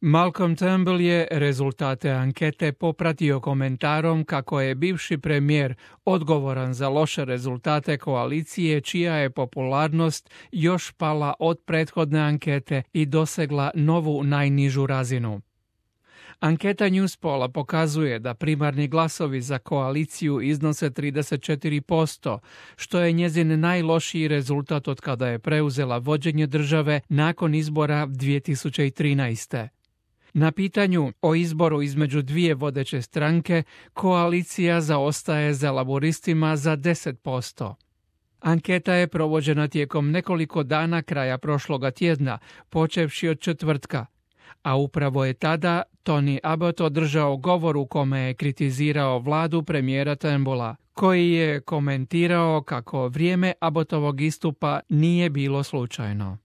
Malcolm Turnbull je rezultate ankete popratio komentarom kako je bivši premijer odgovoran za loše rezultate koalicije čija je popularnost još pala od prethodne ankete i dosegla novu najnižu razinu. Anketa Newspolla pokazuje da primarni glasovi za koaliciju iznose 34%, što je njezin najlošiji rezultat od kada je preuzela vođenje države nakon izbora 2013. Na pitanju o izboru između dvije vodeće stranke, koalicija zaostaje za laboristima za 10%. Anketa je provođena tijekom nekoliko dana kraja prošloga tjedna, počevši od četvrtka, a upravo je tada Tony Abbott održao govor u kome je kritizirao vladu premijera Turnbulla, koji je komentirao kako vrijeme Abbottovog istupa nije bilo slučajno.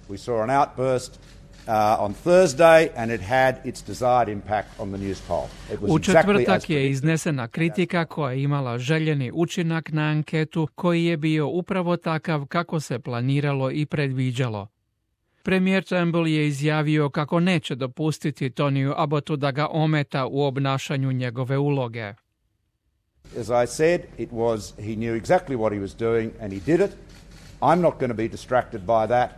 We saw an outburst on Thursday and it had its desired impact on the Newspoll. U četvrtak je iznesena kritika koja je imala željeni učinak na anketu koji je bio upravo takav kako se planiralo i predviđalo. Premijer Turnbull je izjavio kako neće dopustiti Tonyu Abbottu da ga ometa u obnašanju njegove uloge. As I said, he knew exactly what he was doing and he did it. I'm not going to be distracted by that.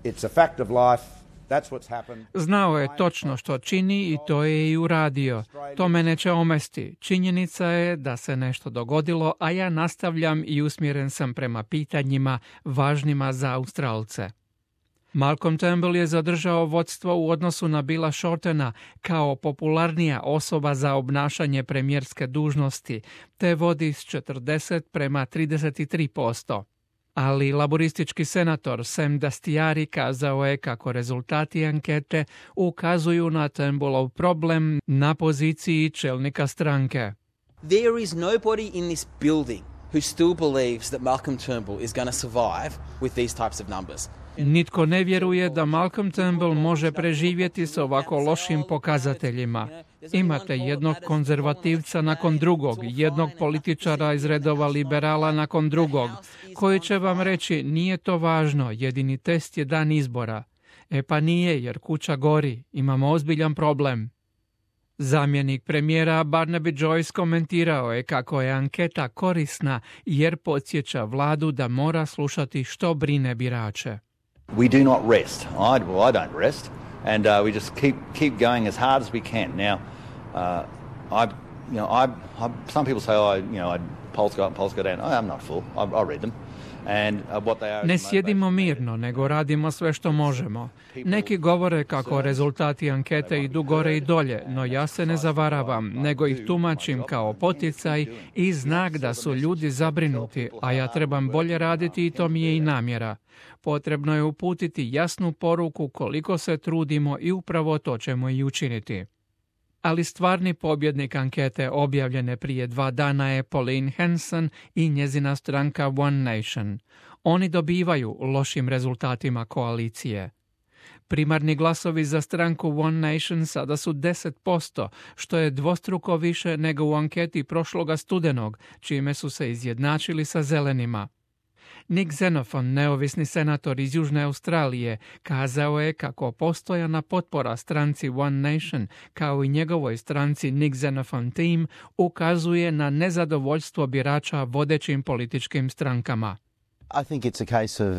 It's a fact of life. That's what's happened. Znao je točno što čini i to je i uradio. To me neće omesti. Činjenica je da se nešto dogodilo, a ja nastavljam i usmjeren sam prema pitanjima važnima za Australce. Malcolm Turnbull je zadržao vodstvo u odnosu na Billa Shortena kao popularnija osoba za obnašanje premijerske dužnosti, te vodi s 40:33%. Ali laboristički senator Sam Dastyari kazao je kako rezultati ankete ukazuju na Turnbullov problem na poziciji čelnika stranke. There is nobody in this building who still believes that Malcolm Turnbull is going to survive with these types of numbers. Nitko ne vjeruje da Malcolm Turnbull može preživjeti s ovako lošim pokazateljima. Imate jednog konzervativca nakon drugog, jednog političara iz redova liberala nakon drugog, koji će vam reći nije to važno, jedini test je dan izbora. E pa nije, jer kuća gori, imamo ozbiljan problem. Zamjenik premijera Barnaby Joyce komentirao je kako je anketa korisna jer podsjeća vladu da mora slušati što brine birače. We do not rest. I don't rest, and we just keep going as hard as we can. Now, some people say, polls go up, polls go down. I'm not a fool. I read them. Ne sjedimo mirno, nego radimo sve što možemo. Neki govore kako rezultati ankete idu gore i dolje, no ja se ne zavaravam, nego ih tumačim kao poticaj i znak da su ljudi zabrinuti, a ja trebam bolje raditi i to mi je i namjera. Potrebno je uputiti jasnu poruku koliko se trudimo i upravo to ćemo i učiniti. Ali stvarni pobjednik ankete objavljene prije 2 dana je Pauline Hanson i njezina stranka One Nation. Oni dobivaju lošim rezultatima koalicije. Primarni glasovi za stranku One Nation sada su 10%, što je dvostruko više nego u anketi prošloga studenog, čime su se izjednačili sa zelenima. Nick Xenophon, neovisni senator iz Južne Australije, kazao je kako postojana potpora stranci One Nation, kao i njegovoj stranci Nick Xenophon Team, ukazuje na nezadovoljstvo birača vodećim političkim strankama. I think it's a case of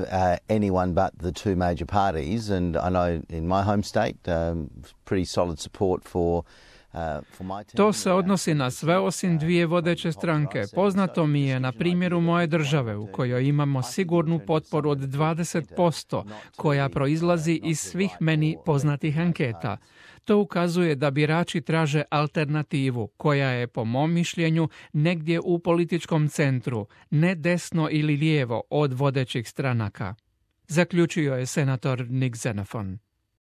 anyone but the two major parties, and I know in my home state pretty solid support for To se odnosi na sve osim dvije vodeće stranke. Poznato mi je na primjeru moje države u kojoj imamo sigurnu potporu od 20% koja proizlazi iz svih meni poznatih anketa. To ukazuje da birači traže alternativu koja je po mom mišljenju negdje u političkom centru, ne desno ili lijevo od vodećih stranaka. Zaključio je senator Nick Xenophon.